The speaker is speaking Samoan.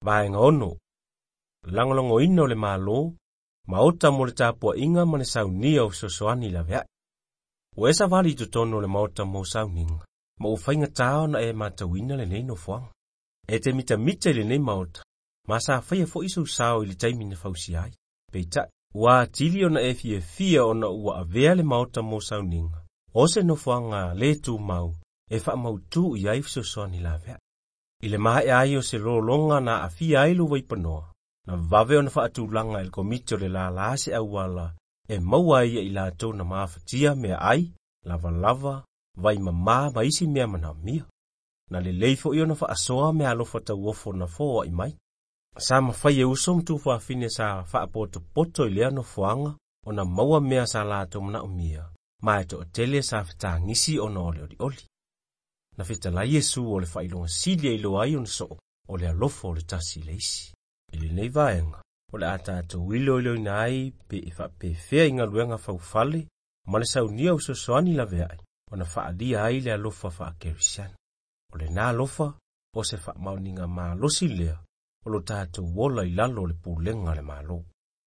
Vaega 6. Lagolagoina o le Malo, Maota mo le tapuaiga ma le saunia o fesoasoani laveai. Ua e savali i totonu o le maota mo sauniga, ma ua faigata ona e matauina lenei nofoaga. E te mitamita i lenei maota, ma sa faia foi sou sao i le taimi na fausia ai. Peitai, ua atili ona e fiafia ona ua avea le maota mo sauniga, o se nofoaga le tumau e faamautu i ai fesoasoani laveai. I le maea ai o se lologa na aafia ai lou vaipanoa, na vave ona faatulaga e le komiti o le lala se auala e maua ai e i latou na mafatia meaai, lavalava, vaimamā ma isi mea manaomia. Na lelei foi ona faasoa meaalofa tauofo na foai mai. Sa mafai e uso ma tuafafine sa faapotopoto i lea nofoaga ona maua mea sa latou manaomia, ma e toatele sa fetagisi ona o le olioli. Na fetalai Iesu o le faailoga sili e iloa ai ona soo, o le alofa o le tasi i le isi. I lenei vaega, o le a tatou iloiloina ai pe e faapefea i galuega faufale ma le saunia o fesoasoani laveai ona faaalia ai le alofa faakerisiano. O lena alofa o se faamaoniga malosi lea o lo tatou ola i lalo o le pulega a le Malo.